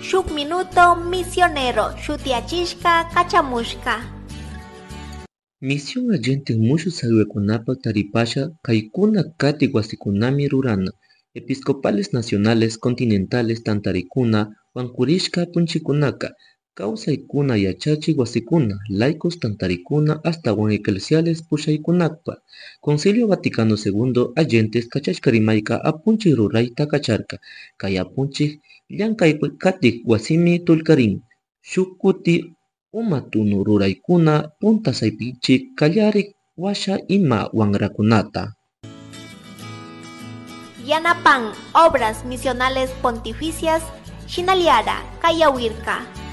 Shuk Minuto Misionero shutiyachishka kachamushka. Misión Allende mushuq saywakunapak taripasha kaykuna katik wasikunami rurana episcopales nacionales, continentales tantarikuna wankurishka apunchikunaka kawsaykuna yachachik wasikuna laicos tantarikuna ashtawan eclesiales pushaykunakpa. Concilio Vaticano II Allentes kachashka rimayka apunchik rurayta kacharka kay apunchik llankay katik wasimi tullkarin shuk kuti uma tunu ruraykuna punta saypichik kallarik washa ima wanrakunata. Yanapan Obras Misionales Pontificias Shinaliara Kayawirka.